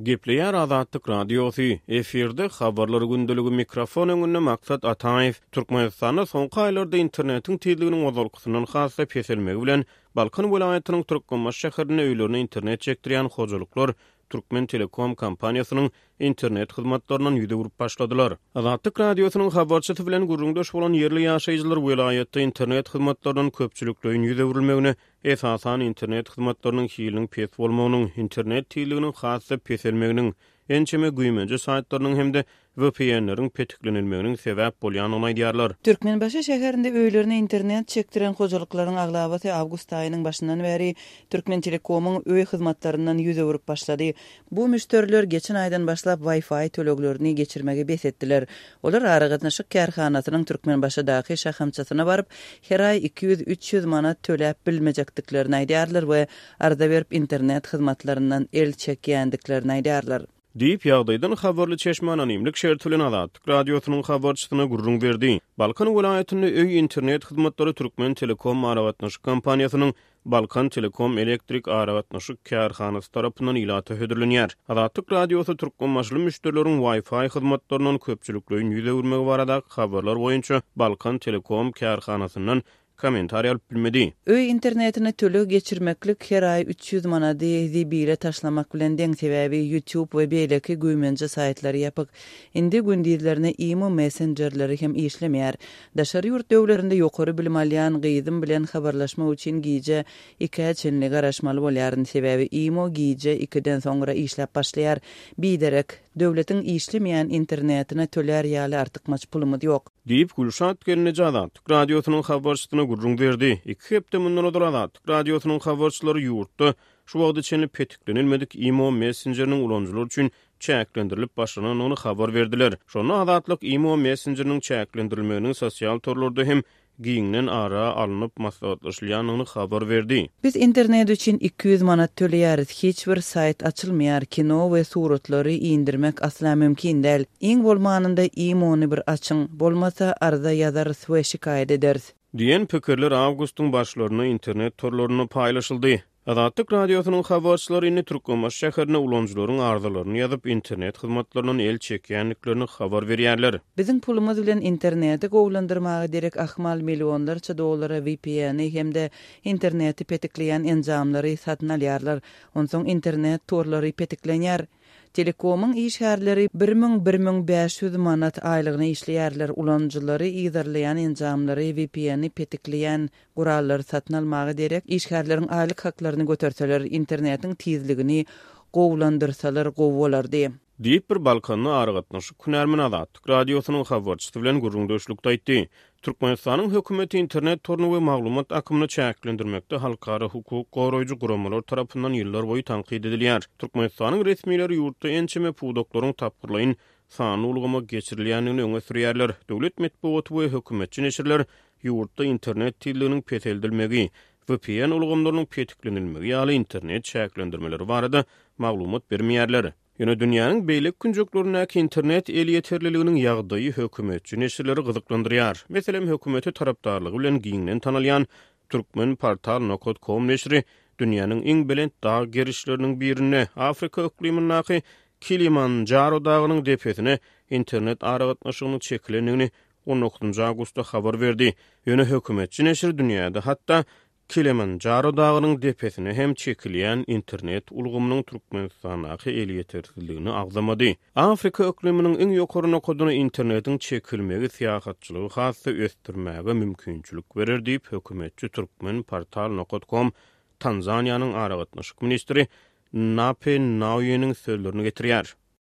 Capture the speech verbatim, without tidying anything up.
Gepleýär Azatlyk Radiosy, efirde Habarlar gündeligi, mikrofon öňünde Maksat Ataýew. Türkmenistanda soňky aýlarda internetiň tizliginiň ozalkysyndan has-da peselmegi bilen, Balkan welaýatynyň Türkmenbaşy şäherinde öýlerine internet çekdirýän hojalyklar Türkmen Telekom kompaniýasynyň internet hyzmatlaryndan ýüz öwrüp başladylar. Azatlyk Radiosynyň habarçysy bilen gürrüňdeş bolan ýerli ýaşaýjylar welaýatda internet hyzmatlaryndan köpçülikleýin ýüz öwrülmegine, esasan internet hyzmatlarynyň hiliniň pes bolmagynyň, internet tizliginiň has-da peselmeginiň, ençeme güýmenje saýtlarynyň hem-de V P N-leriň petiklenilmeginiň sebäp bolýandygyny aýdýarlar. Türkmenbaşy şäherinde öýlerine internet çekdiren hojalyklaryň aglabasy awgust aýynyň başyndan bäri Türkmen Telekomyň öý hyzmatlaryndan ýüz öwrüp başlady. Bu müşderiler geçen aýdan başlap Wi-Fi töleglerini geçirmegi bes etdiler. Olar aragatnaşyk kärhanasynyň Türkmenbaşydaky şahamçasyna baryp, her aý iki ýüz-üç ýüz manat töläp bilmejekdiklerini aýdýarlar we arza berip internet hyzmatlaryndan el çekýändiklerini aýdýarlar. Diýip, ýagdaýdan habarly çeşme anonimlik şerti bilen Azatlyk Radiosynyň habarçysyna gürrüň berdi. Balkan welaýatynda öý internet hyzmatlary Türkmen Telekom aragatnaşyk kompaniýasynyň Balkan Telekom elektrik aragatnaşyk kärhanasy tarapyndan ilata hödürlenýär. Azatlyk Radiosy türkmenbaşyly müşderileriň Wi-Fi hyzmatlaryndan köpçülikleýin ýüz öwürmegi baradaky habarlar boýunça Balkan Telekom kärhanasyndan kommentariý alyp bilmedi. Öý internetine töleg geçirmeklik her aý üç ýüz manady zibile taşlamak bilen deň, sebäbi YouTube we beýleki güýmenje saýtlary ýapyk. Indi gündizlerine Imo messenjerleri hem işlemeýär. Daşary ýurt döwletlerinde ýokary bilim alýan gyzym bilen habarlaşmak üçin gije ikä çenli garaşmaly bolýaryn, sebäbi Imo gije ikiden soňra işläp başlaýar. Biderek, döwletiň işlemeýän internetine tölär ýaly artykmaç pulumyz ýok. Diýip, Gülşat gelneje Azatlyk Radiosynyň habarçysyna gürrüň berdi. Iki hepde mundan ozal Azatlyk Radiosynyň habarçylary ýurtda şu wagta çenli petiklenilmedik Imo messenjeriniň ulanyjylar üçin çäklendirilip başlanandygyny habar berdiler. Şonda Azatlyk Imo messenjeriniň çäklendirilmeginiň sosial torlarda hem giňden ara alnyp maslahatlaşylýandygyny habar berdi. Biz internet üçin iki ýüz manat töleýäris. Hiç bir saýt açylmaýar. Kino we suratlary indirmek asla mümkin däl. Iň bolmanynda Imo'ny bir açyň. Bolmasa arza ýazarys we şikaýat ederis. Diýen pikirler awgustyň başlarynda internet torlarynda paýlaşyldy. Azatlyk Radiosynyň habarçylary indi Türkmenbaşy şäherinde ulanyjylaryň arzalaryny ýazyp, internet hyzmatlaryndan el çekýändiklerini habar berýärler. Biziň pulumyz bilen interneti gowulandyrmaga derek ahmal millionlarça dollara V P N-i hem-de interneti petikleýän enjamlary satyn alýarlar. Onsoň internet torlary petiklenýär. Telekomyň işgärleri bir müň-bir müň bäş ýüz manat aýlygyna işleýärler. Ulanyjylary yzarlaýan enjamlary, V P N-i petikleýän gurallary satyn almaga derek işgärleriň aýlyk haklaryny göterseler, internetiň tizligini gowulandyrsalar gowy bolardy. Diýip, bir Balkanly aragatnaşyk hünärmeni Azatlyk Radiosynyň habarçysy bilen gürrüňdeşlikde aýtdy. Türkmenistanyň hökümeti internet toruny we maglumat akymyny çäklendirmekde halkara hukuk goraýjy guramalar tarapyndan ýyllar boýy tankyt edilýär. Türkmenistanyň resmileri ýurtda ençeme pudaklaryň tapgyrlaýyn sanly ulgama geçirilýändigini öňe sürýärler. Döwlet metbugaty we hökümetçi neşirler ýurtda internet tizliginiň peseldilmegi, V P N ulgamlarynyň petiklenilmegi ýaly internet çäklendirmeleri barada maglumat bermeýärler. Ýöne dünýäniň beýleki künjeklerindäki internet elýeterliliginiň ýagdaýy hökümetçi neşirleri gyzyklandyrýar. Meselem, hökümete tarapdarlygy bilen giňden tanalýan Turkmenportal nokta com neşiri dünýäniň iň belent dag gerişleriniň birinde, Afrika yklymyndaky Kilimanjaro dagynyň depesine internet aragatnaşygynyň çekilendigini on dokuzynjy awgustda habar berdi. Ýöne hökümetçi neşir dünýäde hatda Kilimanjaro dagynyň depesine hem çekilýän internet ulgamynyň Türkmenistandaky elýetersizligini agzamady. Afrika yklymynyň iň ýokary nokadyna internetiň çekilmegi syýahatçylygy has-da ösdürmäge mümkinçilik berer diýip, hökümetçi Turkmenportal nokta com Tanzaniýanyň aragatnaşyk ministri Nape Nauyeniň sözlerini getirýär.